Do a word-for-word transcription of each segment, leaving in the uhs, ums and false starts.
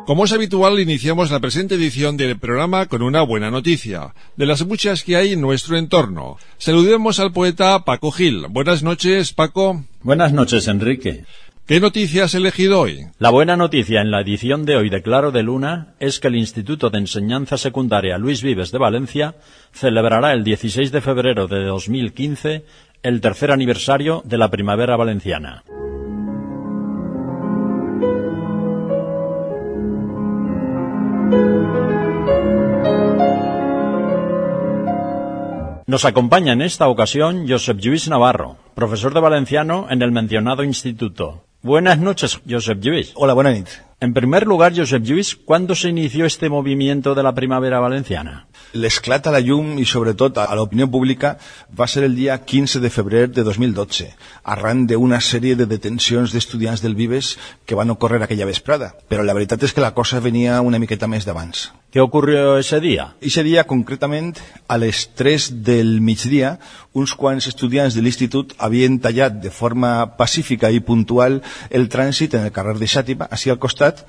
Como es habitual, iniciamos la presente edición del programa con una buena noticia, de las muchas que hay en nuestro entorno. Saludemos al poeta Paco Gil. Buenas noches, Paco. Buenas noches, Enrique. ¿Qué noticia has elegido hoy? La buena noticia en la edición de hoy de Claro de Luna es que el Instituto de Enseñanza Secundaria Luis Vives de Valencia celebrará el dieciséis de febrero de dos mil quince el tercer aniversario de la Primavera Valenciana. Nos acompaña en esta ocasión Josep Lluís Navarro, profesor de valenciano en el mencionado instituto. Buenas noches, Josep Lluís. Hola, buena nit. En primer lugar, Josep Lluís, ¿cuándo se inició este movimiento de la Primavera Valenciana? L'esclat a la llum i sobretot a l'opinió pública va ser el dia quinze de febrer de dos mil dotze, arran d'una sèrie de detencions d'estudiants del Vives que van ocórrer aquella vesprada. Però la veritat és que la cosa venia una miqueta més d'abans. ¿Qué ocurrió ese día? Ese dia, concretament, a les tres del migdia, uns quants estudiants de l'institut havien tallat de forma pacífica i puntual el trànsit en el carrer de Xàtiva, així al costat,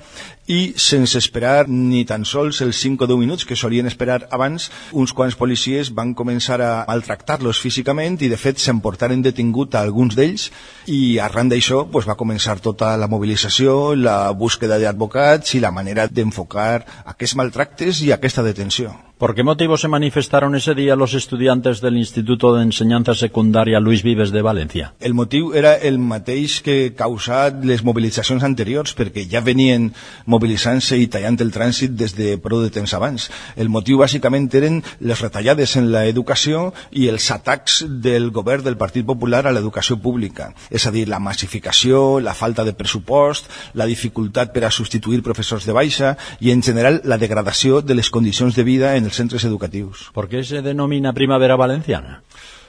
i sense esperar ni tan sols els cinc o deu minuts que solien esperar abans, uns quants policies van començar a maltractar-los físicament i de fet s'emportaren detingut a alguns d'ells i arran d'això pues, va començar tota la mobilització, la búsqueda d'advocats i la manera d'enfocar aquests maltractes i aquesta detenció. ¿Por qué motivo se manifestaron ese día los estudiantes del Instituto de Enseñanza Secundaria Luis Vives de Valencia? El motiu era el mateix que causat les mobilitzacions anteriors, perquè ja venien mobilitzant-se i tallant el trànsit des de prou de temps abans. El motiu bàsicament eren les retallades en l'educació i els atacs del govern del Partit Popular a l'educació pública. És a dir, la massificació, la falta de pressupost, la dificultat per a substituir professors de baixa i, en general, la degradació de les condicions de vida en els centres educatius. ¿Por qué se denomina Primavera Valenciana?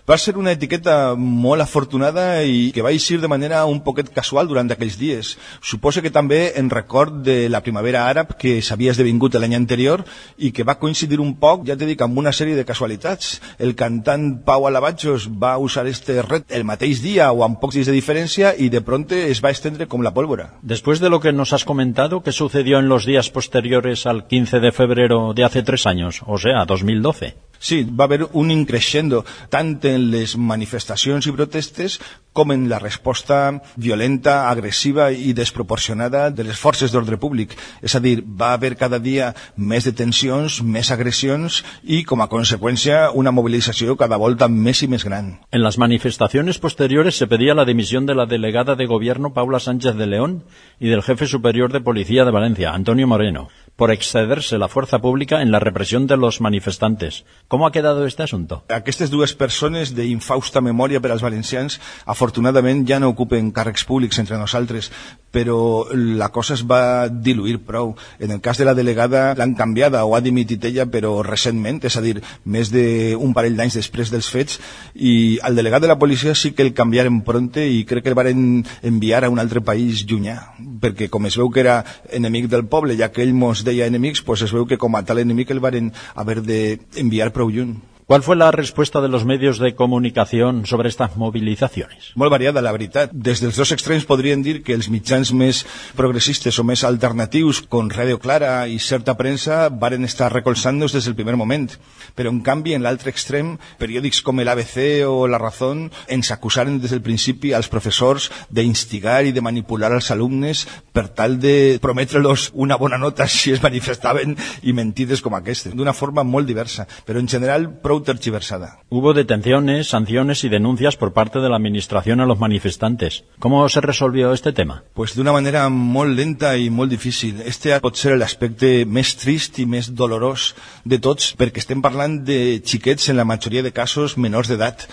Va ser una etiqueta molt afortunada i que va eixir de manera un poquet casual durant aquells dies. Suposo que també en record de la primavera àrab que s'havia esdevingut l'any anterior i que va coincidir un poc, ja t'he dit, amb una sèrie de casualitats. El cantant Pau Alabajos va usar este ret el mateix dia o amb pocs dies de diferència y de pronto es va estendre com la pólvora. Después de lo que nos has comentado, ¿qué sucedió en los días posteriores al quince de febrero de hace tres años, o sea, dos mil doce? Sí, va haver un increixendo tant en les manifestacions i protestes com en la resposta violenta, agressiva i desproporcionada de les forces d'ordre públic. És a dir, va haver cada dia més detencions, més agressions i, com a conseqüència, una movilització cada volta més i més gran. En las manifestaciones posteriores se pedía la dimisión de la delegada de gobierno Paula Sánchez de León y del jefe superior de policía de Valencia, Antonio Moreno, por excederse la fuerza pública en la represión de los manifestantes. ¿Cómo ha quedado este asunto? Aquestes dues persones d'infausta memòria per als valencians afortunadament ja no ocupen càrrecs públics entre nosaltres, però la cosa es va diluir prou. En el cas de la delegada l'han canviada o ha dimitit ella, però recentment, és a dir, més d'un parell d'anys després dels fets, i al delegat de la policia sí que el canviaren pronte i crec que el varen enviar a un altre país llunyà, perquè com es veu que era enemic del poble, ja que ell mos deia enemics, pues es veu que com a tal enemic el varen haver d'enviar prou lluny. ¿Cuál fue la respuesta de los medios de comunicación sobre estas movilizaciones? Molt variada, la veritat. Des dels dos extrems podrien dir que els mitjans més progressistes o més alternatius, com Radio Clara i certa premsa, varen estar recolzant-nos des del primer moment. Però, en canvi, en l'altre extrem, periòdics com l'A B C o La Razón ens acusaren des del principi als professors d'instigar i de manipular als alumnes per tal de prometre-los una bona nota si es manifestaven i mentides com aquestes, d'una forma molt diversa, però en general prou tergiversada. Hubo detenciones, sanciones y denuncias por parte de la administración a los manifestantes. ¿Cómo se resolvió este tema? Pues d'una manera molt lenta i molt difícil. Este pot ser l'aspecte més trist i més dolorós de tots, perquè estem parlant de xiquets, en la majoria de casos, menors d'edat.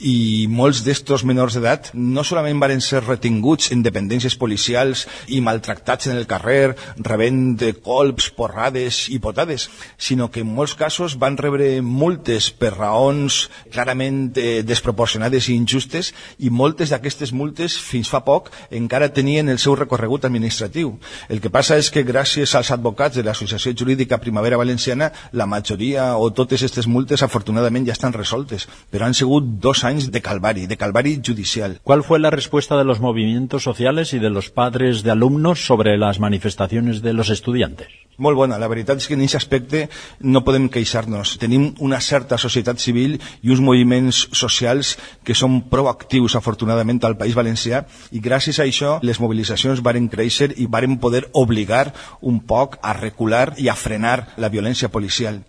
I molts d'estos menors d'edat no solament varen ser retinguts en dependències policials i maltractats en el carrer, rebent colps, porrades i potades, sinó que en molts casos van rebre multes per raons clarament eh, desproporcionades i injustes, i moltes d'aquestes multes fins fa poc encara tenien el seu recorregut administratiu. El que passa és que gràcies als advocats de l'Associació Jurídica Primavera Valenciana la majoria o totes aquestes multes afortunadament ja estan resoltes, però han sigut dos anys anys de calvari, de calvari judicial. ¿Cuál fue la respuesta de los movimientos sociales y de los padres de alumnos sobre las manifestaciones de los estudiantes? Molt bona. La veritat és que en aquest aspecte no podem queixar-nos. Tenim una certa societat civil i uns moviments socials que són proactius, afortunadament, al País Valencià, i gràcies a això les mobilitzacions varen créixer i varen poder obligar un poc a recular i a frenar la violència policial.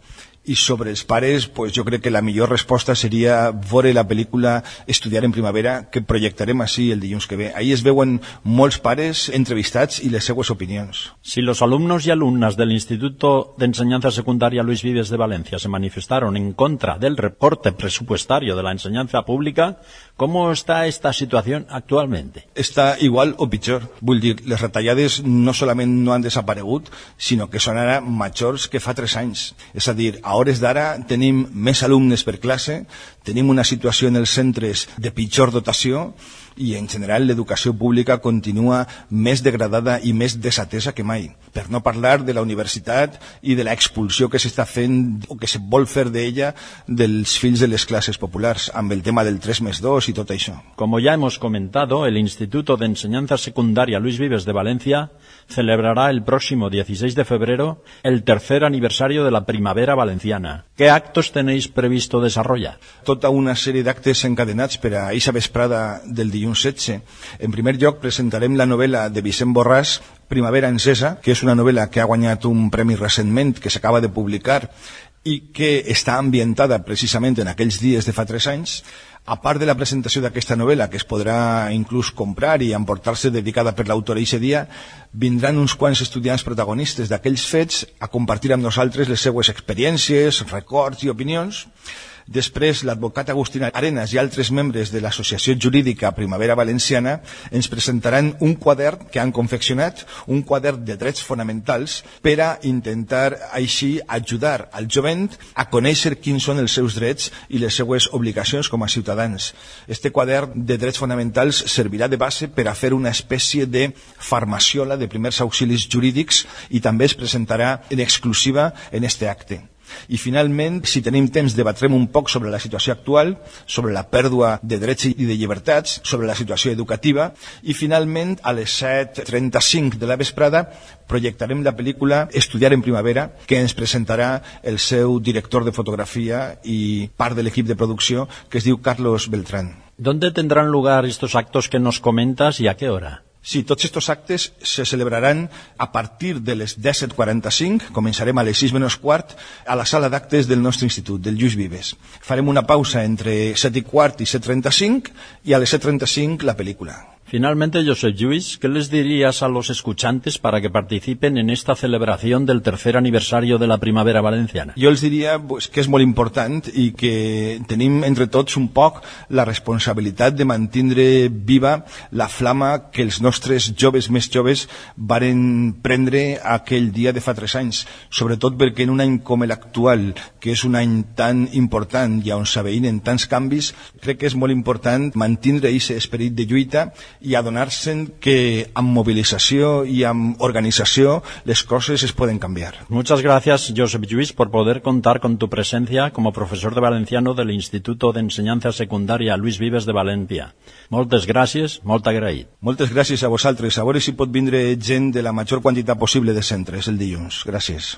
I sobre els pares, pues jo crec que la millor resposta seria veure la pel·lícula Estudiar en Primavera, que projectarem així el dilluns que ve. Ahí es veuen molts pares entrevistats i les seues opinions. Si los alumnos y alumnas del Instituto de Enseñanza Secundaria Luis Vives de Valencia se manifestaron en contra del recorte presupuestario de la enseñanza pública, ¿cómo está esta situación actualmente? Està igual o pitjor. Vull dir, les retallades no solament no han desaparegut, sinó que són ara majors que fa tres anys. És a dir, a hores d'ara tenim més alumnes per classe, tenim una situació en els centres de pitjor dotació i en general l'educació pública continua més degradada i més desatesa que mai. Per no parlar de la universitat i de l'expulsió que s'està fent o que se vol fer d'ella dels fills de les classes populars amb el tema del tres més dos i tot això. Como ya hemos comentado, el Instituto de Enseñanza Secundaria Luis Vives de Valencia celebrará el próximo dieciséis de febrero el tercer aniversario de la Primavera Valenciana. ¿Qué actos tenéis previsto desarrollar? Tota una sèrie d'actes encadenats per a eixa vesprada del dilluns setze. En primer lloc presentarem la novel·la de Vicent Borràs, Primavera encesa, que és una novel·la que ha guanyat un premi recentment, que s'acaba de publicar i que està ambientada precisament en aquells dies de fa tres anys. A part de la presentació d'aquesta novel·la, que es podrà inclús comprar i emportar-se dedicada per l'autor eixe dia, vindran uns quants estudiants protagonistes d'aquells fets a compartir amb nosaltres les seues experiències, records i opinions. Després, l'advocat Agustín Arenas i altres membres de l'Associació Jurídica Primavera Valenciana ens presentaran un quadern que han confeccionat, un quadern de drets fonamentals, per a intentar així ajudar al jovent a conèixer quins són els seus drets i les seues obligacions com a ciutadans. Este quadern de drets fonamentals servirà de base per a fer una espècie de farmaciola de primers auxilis jurídics i també es presentarà en exclusiva en este acte. I finalment, si tenim temps, debatrem un poc sobre la situació actual, sobre la pèrdua de drets i de llibertats, sobre la situació educativa i finalment a les set trenta-cinc de la vesprada projectarem la pel·lícula Estudiar en Primavera, que ens presentarà el seu director de fotografia i part de l'equip de producció, que es diu Carlos Beltrán. ¿Dónde tendrán lugar estos actos que nos comentas y a qué hora? Sí, tots estos actes se celebraran a partir de les disset quaranta-cinc, començarem a les sis menys quart, a la sala d'actes del nostre institut, del Lluís Vives. Farem una pausa entre set i quart i set trenta-cinc i a les set trenta-cinc la pel·lícula. Finalmente, Josep Lluís, ¿qué les dirías a los escuchantes para que participen en esta celebración del tercer aniversario de la Primavera Valenciana? Jo els diria pues, que és molt important i que tenim entre tots un poc la responsabilitat de mantindre viva la flama que els nostres joves més joves varen prendre aquell dia de fa tres anys, sobretot perquè en un any com l'actual, que és un any tan important i on s'aveïnen tants canvis, crec que és molt important mantindre aquest esperit de lluita i adonar-se'n que amb movilització i amb organizació les coses es pueden cambiar. Muchas gracias, Josep Lluís, por poder contar con tu presencia como profesor de valenciano del Instituto de Enseñanza Secundaria Luis Vives de Valencia. Moltes gràcies, molt agraït. Moltes gràcies a vosaltres. A veure si pot vindre gent de la major quantitat possible de centres el dilluns. Gràcies.